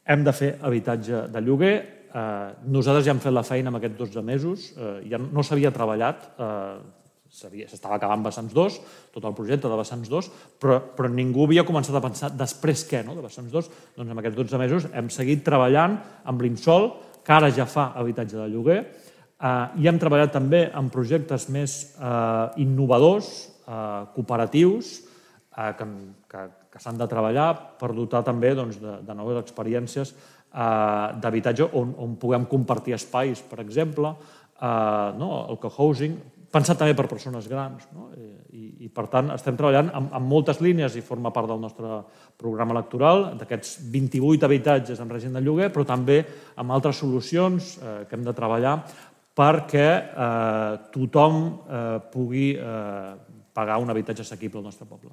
Hem de fer habitatge de lloguer. Nosaltres ja hem fet la feina en aquests 12 mesos. Ja no s'havia treballat, s'estava acabant Vessants 2, tot el projecte de Vessants 2, però ningú havia començat a pensar després què, de Vessants 2. Doncs en aquests 12 mesos hem seguit treballant amb l'IMSOL, que ara ja fa habitatge de lloguer, i hem treballat també en projectes més innovadors, cooperatius, que s'han de treballar per dotar també de noves experiències d'habitatge on puguem compartir espais, per exemple, el cohousing, pensat també per persones grans. I, per tant, estem treballant en moltes línies i forma part del nostre programa electoral, d'aquests 28 habitatges en règim de lloguer, però també amb altres solucions que hem de treballar perquè tothom pugui pagar un habitatge assequible al nostre poble.